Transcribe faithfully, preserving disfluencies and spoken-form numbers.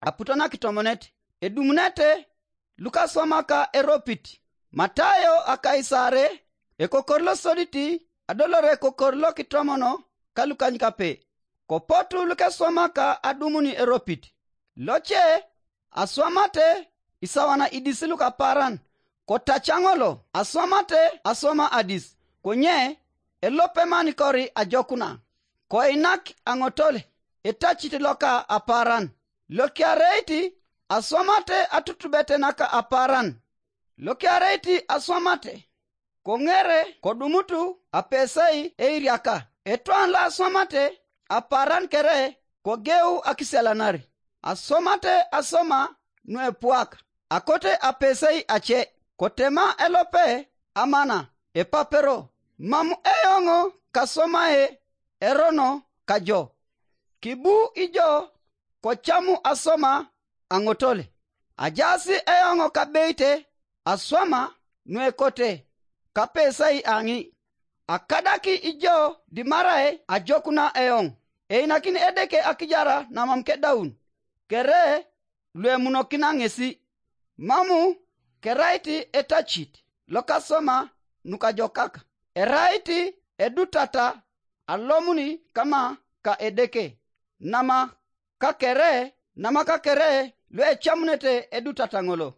aputo na kitomonet. Edumunete lukaswamaka eropit. Matayo a Kaisare, ekokor losodit, adolore kokor lokitomono ka lukanykape. Kopotu lukeswamaka adumuni eropit. Loce aswamate isawana idis lukapaaran, kotaca ŋolo aswamate aswama adis, konye elope manikori ajokuna. Koinak aŋotol etacit loka apaaran. Lokiareit aswamate atutubete naka apaaran. Lokiareit aswamate, koŋere kodumutu apesei eiriaka. Etwan loaswamate apaaran kere kogeu akisialanar. Aswamate aswama nuepuak, akote apesei ace, kotema elope amana, epapero, mam eoŋ kaswamae erono kajo. Kibu ijo kocamu aswama aŋotol. Ajaas eoŋ kabeite aswama nuekote kapesai aŋi. Akadaki ijo dimarai ajokuna eoŋ. Einakini Edeke akijara namam kedaun, kere luemunokina ŋesi. Mamu kerait etacit lokasoma nukajokak, erait edutata alomuni kama ka Edeke, nama kakere, nama kakere luecamunete edutata ŋolo.